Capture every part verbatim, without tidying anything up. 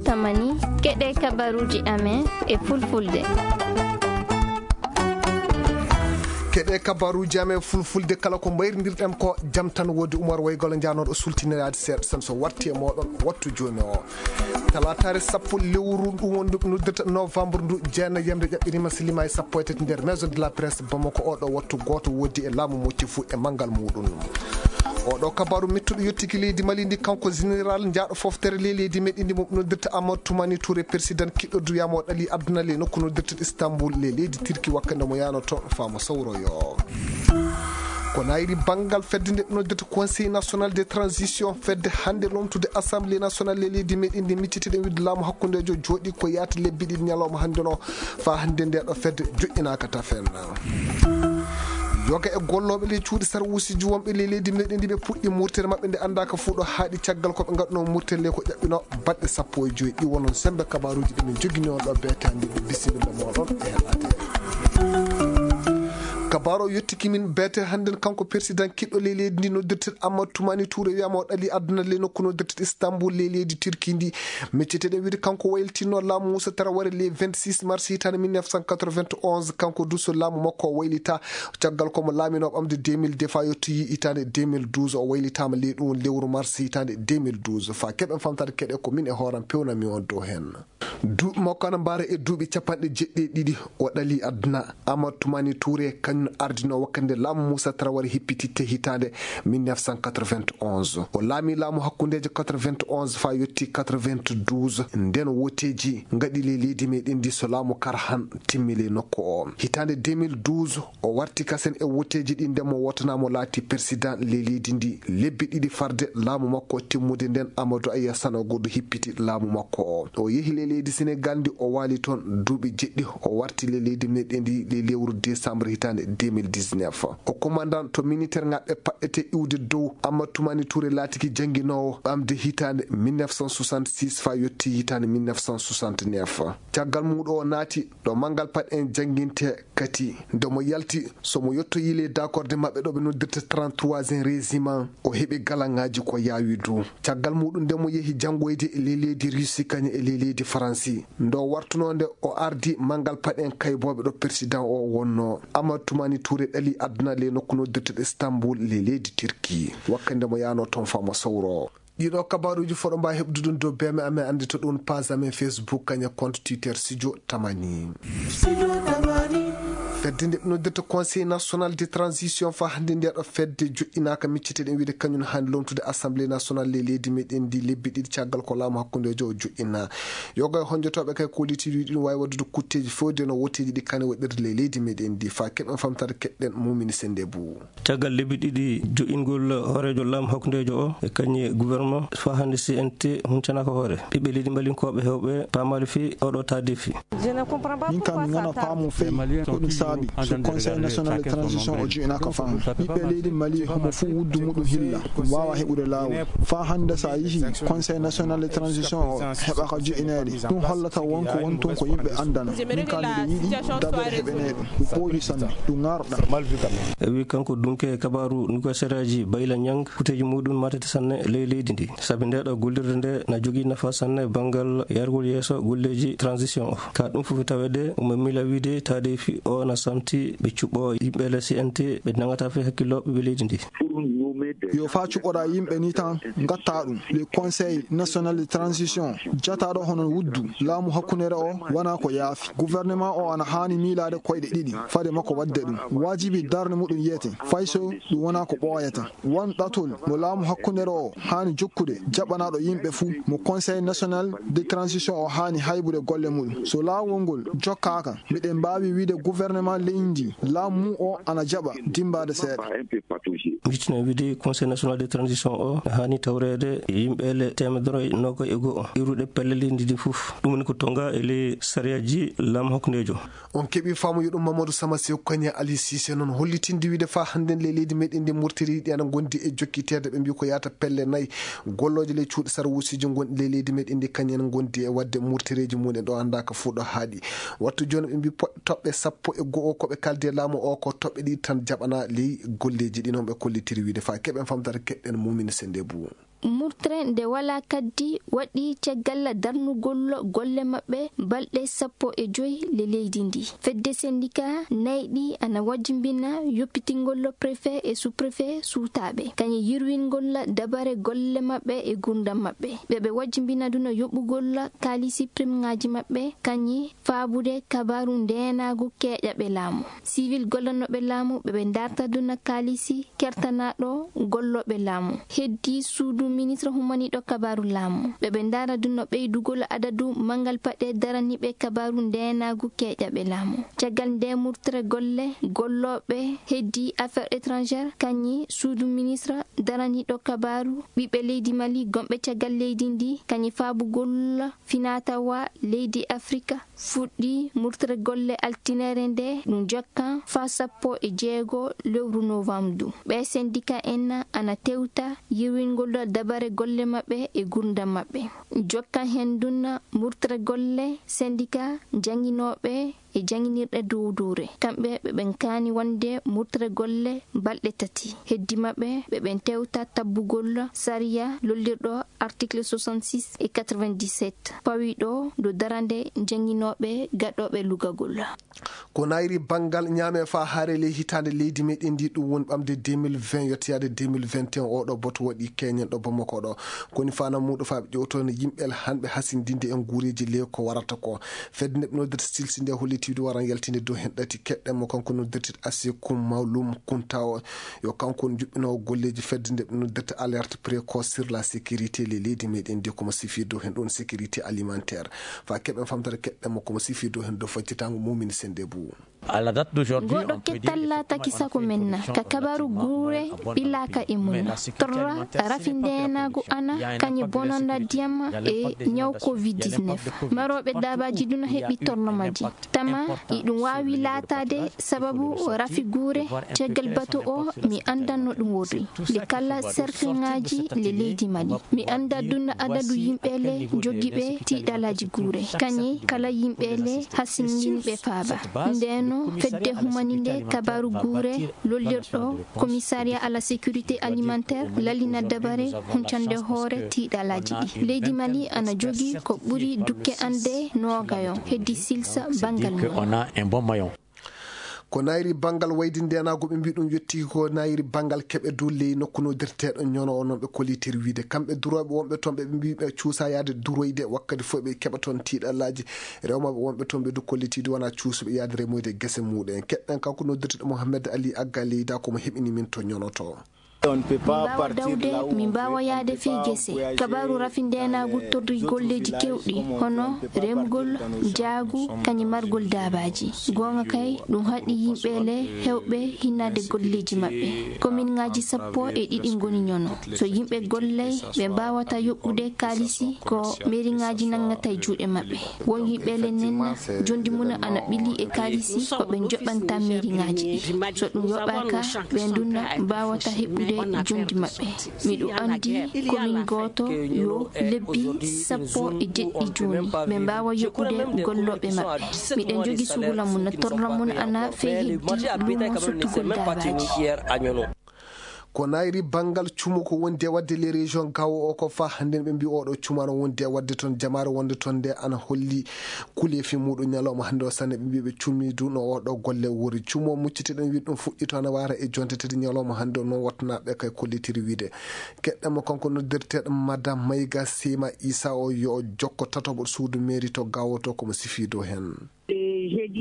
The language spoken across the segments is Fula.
Tamani, keɗe kabaruuji amen e fulfulde. Keɗe kabaruuji amen fulfulde, kala ko mbayrindirɗen ko jam tan woodi. Umar Waygol njanooɗo sultiniraade seeɗa tan so warti e mooɗon wattu jooni o. Talaataare sappo lewru ndu wondu noddirta novembre ndu, jeenayi yamre ƴaɓɓirima silima e sappo e tati nder Maison de la Presse Bamako. Oɗo wattu gooto woodi e laamu mocci fuu e manngal muuɗum. Oɗo kabaru mettuɗo yottiki leydi Mali ndi, kanko général njaaɗo foftere ley leydi meɗen ndi mo noddirta Amadou Toumani Touré, président kiɗɗo duyamo ɗali aduna ley nokku noddirta Istanbul ley leydi Turki, wakkande mo yaano toon faamo sawroyo. Ko nayri banngal fedde nde noddirta Conseil national de transition, fedde hannde lomtude Assemblée nationale ley leydi meɗen ndi, miccitiɗen wiide laamu hakkundejo jooɗi ko yaata lebbi ɗiɗi ñalawma hannde no, faa hannde nde ɗo fedde joƴƴinaaka tafen. Yoga e gollooɓe ley cuuɗi sarwuusiji wonɓe ley leydi meɗen ndi, ɓe puɗɗi murtere maɓɓe nde anndaaka fuu ɗo haaɗi, caggal ko ɓe ngaɗunoo murtere ley ko ƴaɓɓinoo baɗɗe sappo e joy ɗi. Wonon semmbe kabaruuji ɗi min njogini on ɗo beete hannde, ɓe bisimilla mooɗon e heɗaade. Kabaru o yottiki min beete hannde, kanko président kiɗɗo ley leydi ndi noddirteɗo Amadou Toumani Touré, wiyama o ɗali aduna ley nokku noddirteɗo Istanbul ley leydi Turki ndi. Micceteɗen wiide kanko waylitinno laamu Moussa Traoré le vingt-six mars hitaande mille neuf cent quatre-vingt-onze, kanko du so laamu makko o waylita, caggal ko mo laamino ɓamde deux mille deux faa yettoyi hitaande deux mille douze, o waylitaama ley ɗum lewru mars hitaande deux mille douze. Faa keɓen famtaade keɗe ko min e hooram pewnami on dow heen. Duuɓi makko ana mbaara e duuɓi capanɗe jeɗɗi e ɗiɗi o ɗali aduna. Amadou Toumani Touré kañum ardino wakkande laamu Moussa Traoré hippititte hitaande mille neuf cent quatre-vingt-onze. O laami laamu hakkundeejo quatre-vingt-onze faa yotti quatre-vingt-douze. Nden woteeji ngaɗi ley leydi meɗen ndi so laamu Karhan timmi ley nokku o. Hitaande deux mille douze, o warti kasen e woteeji ɗi, nden mo wootanaama o laati président ley leydi ndi. Lebbi ɗiɗi farde laamu makko timmude nden, Amadou Aya Sanogo du hippiti laamu makko o. O yehi ley leydi Sénégal ndi, o waali toon duuɓi jeɗɗi, o warti ley leydi meɗen ndi ley lewru décembre hitaande deux mille dix-neuf. O commandant to militaire ŋaɓɓe paɗɗete iwde dow. Amadou Toumani Touré laatiki jannginoowo ɓamde hitaande mille neuf cent soixante-six faa yotti hitaande mille neuf cent soixante-neuf. Caggal muuɗum o naati ɗo manngal paɗe en jannginte kadi. Nde mo yalti, so mo yettoyi ley dakorde maɓɓe ɗo ɓe noddirta trente-troisième régiment, o heɓi galaŋaaji ko yaawi du. Caggal muuɗum nde mo yehi janngoyde e ley leydi Russie kañum e ley leydi Faransi. Nde o wartunoo nde o ardi manngal paɗe en kaybooɓe ɗo président o wonnoo. Amadou Toumani Touré ɗali aduna ley nokku noddirteɗo Istanbul ley leydi Turki. Wakkande mo yaanoo toon faa mo sawroo. Ɗiɗo kabaruuji fof ɗo mbaawi heɓdude ɗum dow B M amen, annde to ɗum page amen Facebook, kañum e compte Twitter Studio Tamani. Fedde nde ɓe noddirta Conseil national de transition faa hannde nde ɗo fedde joƴƴinaaka, micceteɗen wiide kañum haani lomtude Assemblée nationale ley leydi meɗen ndi lebbi ɗiɗi caggal ko laamu hakkundeejo o joƴƴina. Yoga e honjotooɓe kay kollitiiɗi ɗum waawi waɗdude kutteeji fewde no woteeji ɗi kane waɗirde ley leydi meɗen ndi. Faa keɓen famtaade keɗɗen Mumini Sennde Bou. Caggal lebbi ɗiɗi joƴƴingol hooreejo laamu hakkundeejo o e kañum e gouvernement faa hannde C N T huncanaaka hoore. Ɓiɓɓe leydi mbalinkooɓe heewɓe paamaali fii oɗo taadeefi. Min kam mi ngana paamo fey ko ɗum saabi so Conseil national de transition o joƴƴinaaka faa hannde. Ɓiɓɓe leydi Mali homo fuu wuddu muɗum hilla ɗum waawa heɓude laawol. Faa hannde so a yihi Conseil national de transition o heɓaaka joƴƴineede, ɗum hollata wonko woni toon ko yimɓe anndana. Min kam miɗo yiɗi dabeere heɓanee ɗum. Ɗum ɓooyi sanne, ɗum ŋaarɗa. E wi kanko dunke kabaaru nduka seraaji Bayla Ñang, kuteeji muɗum matete sanne ley leydi ndi. Sabi nde ɗo gollirde nde na jogii nafa sanne banngal yargol yeeso golleeji transition o. Ka ɗum fof taweede omo miila wiide taadeefi o na samti ɓe cuɓɓo yimɓe le C N T ɓe nangata fii hakkillo ɓiɓɓe leydi ndi. Yo faa cuɓɓoɗaa yimɓe ni tan, ngatta ɗum le Conseil national de transition, jataɗo hono wuddu laamu hakkunere o wona ko yaafi. Gouvernement o ana haani miilaade koyɗe ɗiɗi fade makko waɗde ɗum. Waajibi darnde muɗum yiyete, fay so ɗum wona ko ɓooyata. Won ɗatol mo laamu hakkunere o haani jokkude jaɓanaaɗo yimɓe fuu, mo Conseil national de transition o haani haybude golle muɗum. So laawol ngol jokkaaka, miɗen mbaawi wiide gouvernement leydi ndi, laamu mum o ana jaɓa dimmbaade seeɗa. Miccitinaa wiide Conseil national de transition o haani tawreede yimɓe le teemedere noogay e go'o iwruɗe pelle leydi ndi fof. Ɗum woni ko tonga e ley sariyaaji laamu hakkundeejo. On keɓii faamu yo ɗum Mamadou Sama Sew Koñe Ali Cissé noon hollitinde wiide faa hannden le leydi meɗen ndi Murtiri ɗi ana ngondi e jokkiteede, ɓe mbii ko yaata pelle nayi. Gollooje ley cuuɗi sarwuusiji ngonɗi ley leydi meɗen ndi kañum en ngondi e waɗde murtireeji mum en ɗo anndaaka fuu ɗo haaɗi. Wattu jooni ɓe mbii poɗ-, toɓɓe sappo e go'o ko ɓe kaldi e laamu o ko toɓɓe ɗiɗi tan jaɓanaa ley golleeji ɗi noon ɓe kollitiri wiide faa keɓen famtata keɗɗen Mumini Sennde Bou. Murtre nde walaa kaddi waɗi caggal darnugol golle maɓɓe balɗe sappo e joy le leydi ndi. Fedde sendika nayɗi ana wajjimbina yoppitingol préfet e sous-préfet suutaaɓe, kañum yirwingol dabare golle maɓɓe e gurdam maɓɓe. Ɓe ɓe wajjimbina duna yoɓugol kaalisi primŋaaji maɓɓe, kañum faabude kabaaru ndeenaagu keeƴaɓe laamu. Sivil gollanooɓe laamu ɓe ɓe ndarta duna kaalisi kertanaaɗo gollooɓe laamu. Heddi suudu ministre humaniiɗo kabaaru laamu. Ɓe ɓe ndara duna ɓeydugol adadu manngal paɗe daraniiɓe kabaaru ndeenaagu keeƴaɓe laamu. Caggal nde murtere golle gollooɓe heddi affaires étrangères, kañum suudu ministre daraniiɗo kabaaru ɓiɓɓe leydi Mali gonɓe caggal leydi ndi, kañum faabugol finatawa leydi Afrika fuɗɗi murtere golle altinere nde ɗum jokkan faa sappo e jeego lewru novembre. Ɓe sendika en ana tewta yirwingol dabare golle maɓɓe e gurdam maɓɓe. Jokkan heen duna murtere golle sendika jannginooɓe e jannginirɗe dowdowre. Kamɓe ɓe ɓen kaani wonde murtere golle balɗe tati. Heddi maɓɓe ɓe ɓen tewta tabbugol sariya lollirɗo article soixante-six e quatre-vingt-dix-sept pawiɗo dow darande jannginooɓe gaɗooɓe lugagol. Ko nayri banngal ñaame faa hare ley hitaande leydi meɗen ndi, ɗum woni ɓamde deux mille vingt yottoyaade deux mille vingt et un. Oɗo boto waɗi keñen ɗo Bamako ɗo. Koni fana muuɗo faa ɓe ƴewtono yimɓe hanɓe hasindinde en guureeji ley ko warata ko. Fedde nde ɓe noddirta silsi nde hollitiidu waran yaltinde dow hen ɗati keɗɗen mo kanko noddirta Asekum Mawlum Kunta o. Yo kanko woni juɓɓinoowo golleeji fedde nde ɓe noddirta alerte précoce sur la sécurité ley leydi meɗen ndi, ko mo sifi dow hen ɗon sécurité alimentaire. Faa keɓen famtare keɗɗen mo ko mo sifi dow hen dow faccitango mumini sende bu. Goɗo kettal laataki sago men na ka kabaru guure ɓilaaka e mum na torra rafi ndeenaagu ana kañi bononda ndiyam e ñaw covid dix-neuf. Marooɓe daabaaji ɗuna heɓi torno majji. Tama iɗum waawi laataade sababu rafi guure. Caggal batu o mi anndan no ɗum worri. Nde kala serkiŋaaji le leydi Mali. Mi annda dunna adadu yimɓe le jogiiɓe tiiɗalaaji guure. Kañi kala yimɓe le hasinginɓe faaba. Ndeno fedde humani nde kabaru guure lollirɗo commissariat à la sécurité alimentaire lalina dabare huncande hoore tiiɗalaaji ɗi. Leydi Mali ana jogii ko ɓuri dukke ande noogayo heddi silsa banngal mum. Ko nayri banngal waydi ndeenaagu ɓe mbii ɗum yetti ko nayri banngal keɓe dow ley nokku noddirteeɗo ñono o noon ɓe kollitir wiide kamɓe durooɓe wonɓe toon ɓe ɓe mbii ɓe cuusa yaade duroyde wakkati fof ɓe keɓa toon tiiɗallaaji rewmaaɓe wonɓe toon ɓe du kollitiidu wona cuusuɓe yaade remoyde gese muuɗum en. Keɗɗen kanko noddirteeɗo Mohamed Ali Agga Leyda ko mo heɓini min to ñono to. Min mbaawa dawde, min mbaawa yahde fii gese. Kabaaru rafi ndeenaagu torri golleeji keewɗi, hono remgol, jaagu, kañum margol daabaaji. Goonga kay, ɗum haɗi yimɓe le heewɓe hinnaade golleeji maɓɓe. Kominŋaaji sappo e ɗiɗi ngoni ñono. So yimɓe gollay, ɓe mbaawata yoɓɓude kaalisi ko meriŋaaji nanngata e juuɗe maɓɓe. Won yimɓe le nenna, jondi mum ana ɓili e kaalisi ko ɓe njoɓanta meriŋaaji ɗi. So ɗum yoɓaaka, ɓe ndunna mbaawata heɓude jondi maɓɓe. Miɗo anndi komin gooto yo lebbi sappo e jeɗɗi jooni, ɓe mbaawa yoɓude gollooɓe maɓɓe. Miɗen jogi suhula mum, torla mum ana fee heddi luumo sottugol daabaaji. Ko nayri banngal cumo ko wondi e waɗde les régions gawo o ko faa hannden ɓe mbii oɗo cumano wondi e waɗde toon jamaare wonde toon nde ana holli kuleefi muuɗum ñalawma hannde o sanne ɓe mbii ɓe cummi du no oɗo golle wori. Cumo muccitiɗen wiide ɗum fuɗɗi to ana waara e jonte tati ñalawma hannde o noon wattanaaɓe kay kollitiri wiide. Keɗɗen mo kanko noddirteeɗo Madame Mayga Seyma Issa o yo jokko tataɓo suudu mairie to gawo to ko mo sifi dow heen.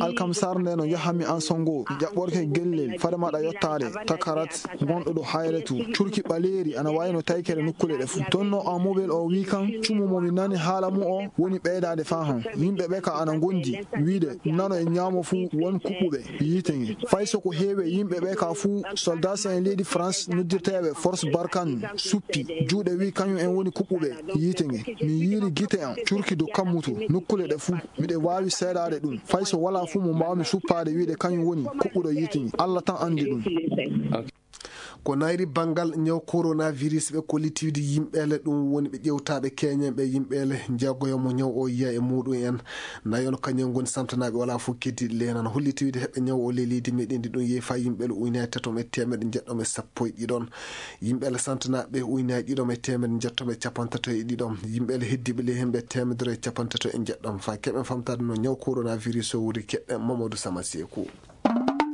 Alkamsar nde no yahanmi en Songo, mi ƴaɓɓorke Gellel, fade maɗa yottaade Takarat, gonɗo ɗo Hayretu, curki ɓaleeri ana wayi no taykere nokkuule ɗe fuu. Toon no Amobel o wi kan, cumo mo mi nani haala mu o woni ɓeydaade faa han. Yimɓe ɓe ka ana ngondi, wiide nano e ñaamo fuu won kuɓɓuɓe yiite nge. Fay so ko heewi e yimɓe ɓe ka fuu, soldat en leydi France noddirteeɓe Force Barkhane suppi juuɗe wi kañum en woni kuɓɓuɓe yiite nge. Mi yiiri gite am, curki dow kammutu, nokkuule ɗe fuu. Miɗo waawi seedaade ɗum. Fay so walaa fuu mo mbaawmi suppaade wiide kañum woni kuɓɓuɗo yiite nge. Alla tan anndi ɗum. Ko nayri banngal ñaw coronavirus, ɓe kolliti wiide yimɓeele ɗum woni ɓe ƴewtaaɓe keñen ɓe yimɓeele njeegoyo mo ñaw o yiya e muɗum en. Nayon kañum ngoni samtanaaɓe wala fof keddiiɗi leenan. Holliti wiide heɓɓe ñaw o ley leydi meɗen ndi ɗum yehi fa yimɓeele uynaye tatom e teemeɗe njeɗɗom e sappo e ɗiɗon. Yimɓeele santanaaɓe uynaye ɗiɗom e teemeɗe njeɗɗom e capantato e ɗiɗom. Yimɓeele heddiiɓe ley hemɓe teemedere e capantato e njeɗɗom. Fa keɓen famtaade no ñaw coronavirus o wuri keɓɓen Mamadou Sama Seeku.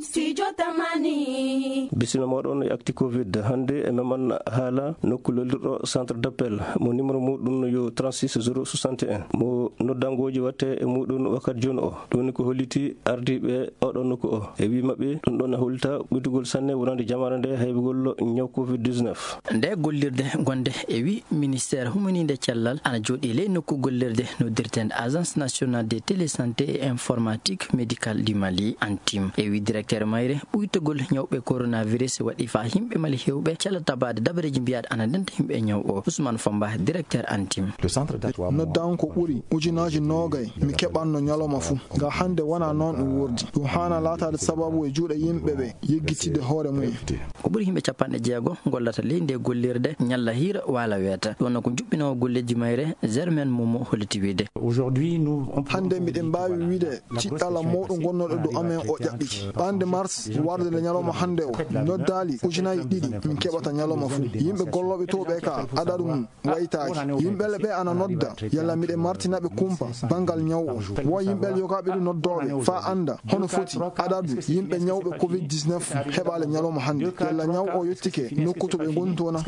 Studio Tamani. Bisimilla moɗon e Actu Covid. Hannde e meman haala nokku lollirɗo centre d'appel mo numéro muɗum yo trente-six zéro soixante et un. Mo noddangooji watte e muɗum wakkati jooni o. Ɗum ni ko holliti ardiiɓe oɗo nokku o. E wi maɓɓe, ɗum ɗon e hollita ɓuddugol sanne wonande jamaare nde haybugol ñaw Covid dix-neuf. Nde gollirde gonde e wi ministère humaninde cellal ana jooɗi ley nokku gollirde noddirteende Agence Nationale de Télésanté et Informatique Médicale du Mali, ANTIM. E wi directeur mayre, ɓuytogol ñawɓe coronavirus waɗi fa yimɓe Mali hewɓe cala tabaade dabareeji mbiyaɗe ana ndenta yimɓe ñaw o. Ousmane Famba, directeur ANTIM. Noddaango ko ɓuri ujunaaji noogay mi keɓanno ñalawma fuu. Ga hannde wonaa noon ɗum wordi. Ɗum haana laataade sababu e juuɗe yimɓe ɓe yeggitide hoore mumen. Ko ɓuri yimɓe capanɗe jeego gollata ley nde gollirde ñalla hiira waala weeta. Ɗum wonno ko juɓɓinoowo golleeji mayre Germaine Momo holliti wiide. Hannde miɗen mbaawi wiide ciɗɗala mawɗo gonnooɗo dow amen o ƴaɓɓiti. Ɓannde mars warde nde ñalawma hannde o noddaali ujunaaji ɗiɗi min keɓata ñalawma fuu. Yimɓe gollooɓe to ɓe ka adadu mum waytaaki. Yimɓeele ɓe ana nodda, yalla miɗen martina ɓe kumpa banngal ñaw o. Wo yimɓeele yogaaɓe ɗum noddooɓe faa annda hono foti adadu yimɓe ñawɓe Covid dix-neuf heɓaale ñalawma hannde. Yalla ñaw o yottike nokku to ɓe ngoni to na?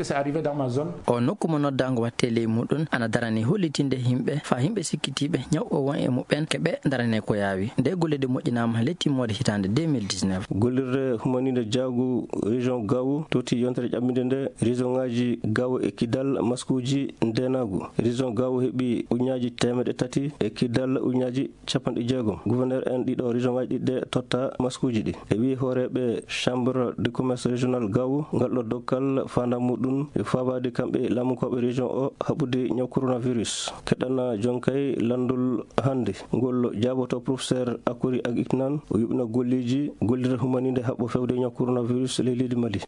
O nokku mo noddaango watte ley muɗum ana darani hollitinde yimɓe faa yimɓe sikkitiiɓe ñaw o won e muɓɓen ke ɓe darane ko yaawi. Nde gollirde moƴƴinaama le timmoode hitaande deux mille dix-neuf. Gollirde humaninde jaagu région Gao totti yontere ƴaɓɓinde nde région ŋaaji Gao e Kidal maskuuji ndeenaagu. Région Gao heɓi ujunnaaji teemeɗɗe tati e Kidal ujunnaaji capanɗe jeegom. Gouverneur en ɗiɗo région ŋaaji ɗiɗi ɗe totta maskuuji ɗi. E wi hooreeɓe Chambre de Commerce Régional Gao, ngal ɗo dokkal faandaare muɗum e faabaade kamɓe laamunkooɓe région o haɓude ñaw coronavirus. Keɗana jonkay lanndol hannde. Ngol jaaboto professeur Akori Agiknan, o yuɓina golleeji gollirde humaninde haɓɓo fewde ñaw coronavirus ley leydi Mali.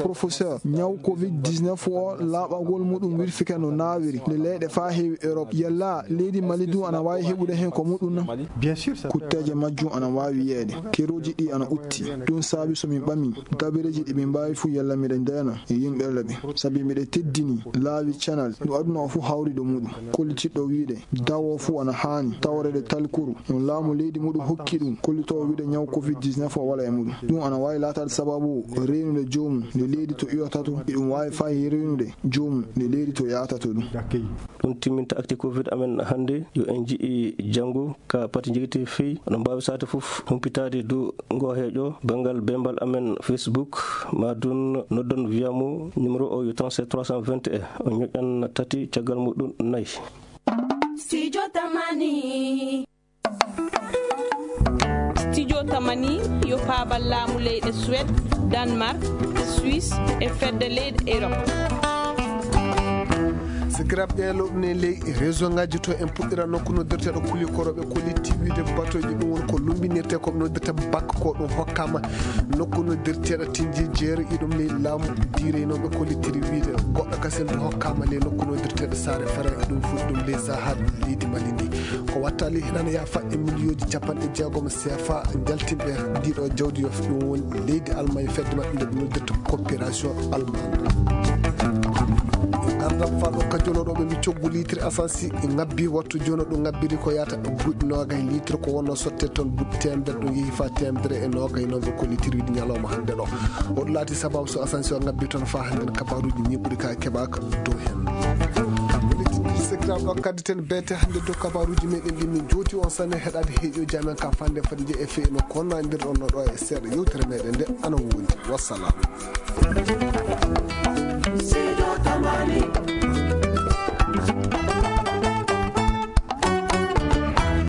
Professeur, ñaw Covid dix-neuf o laaɓagol muɗum wirfike no naawiri le leyɗe faa heewi Europe. Yalla leydi Mali du ana waawi heɓude heen ko muɗum na? Kutteeje majjum ana waawi yiyeede. Kerooji ɗi ana utti. Ɗum saabi so min ɓami dabareeji ɗi min mbaawi fuu yalla miɗen ndeena e yimɓeele ɓe. Sabi miɗen teddini laawi canal no aduna o fuu hawri ɗo muɗum. Kollitiiɗo wiide dawo fuu ana haani tawreede talkuru no laamu leydi muɗum hokki ɗum kollitoowo wiide ñaw Covid dix-neuf o wala e muɗum. Ɗum ana waawi laataade sababu reenude joomum nde leydi to iwata to, e ɗum waawi faayi reenude joomum nde leydi to yahata to ɗum. Ɗum timminta Actu Covid amen hannde. Yo en nji'i janngo ka pati jogiti fii. Oɗon mbaawi saate fof humpitaade dow ngo heejo banngal bembal amen Facebook, ma dun noddon via mo numéro o yo trente-sept trois cent vingt et un. On ñoƴƴan tati, caggal muɗum nayi. Studio Tamani. Studio Tamani yo paabal laamu leyɗe Suède, Danemark, Suisse e fedde leyɗe Europe. Sakiraaɓe ɓe lowɗen ley réseau ngaji to, en puɗɗira nokku noddirteeɗo kulikorooɓe kolliti wiide batoji, ɗum woni ko lumbinirte ko noddirta bak ko ɗum hokkama nokku noddirteeɗo tinji jeeri iɗum ley laamu direynooɓe kollitiri wiide goɗɗo kasen ɗum hokkama ley nokku noddirteeɗo Saare Fere, ɗum fuɗɗi ɗum ley Sahel leydi Mali ndi. Ko wattali nana yaafa e miliyonji capanɗe jeegom C F A jaltinɓe ndiɗo jawdi yo ɗum woni leydi Allemagne fedde maɓɓe nde ɓe noddirta coopération allemande. Gardam faɗo ka jonoɗo ɓe mi coggu litre essence ngabbi wattu jono ɗo ngabbiri ko yata buuɗi nogay litre ko wonno sotte ton buuɗi temedere ɗum yehi fa temedere e nogay noon ɓe kollitirwidi ñalawma hannde ɗo. Oɗo laati sababu so essence o ngabbi toon fa hannde kabaruji ni ɓuri ka keɓaka dow hen. Secteur ɗo kaddi ten beete hannde dow kabaruji meɗen ɗi min joti on sanne heɗade heeƴoji amen ka fande fadde e feyno konnandirɗon no ɗo e seeɗa yewtere meɗen nde ana wondi. Wassalam.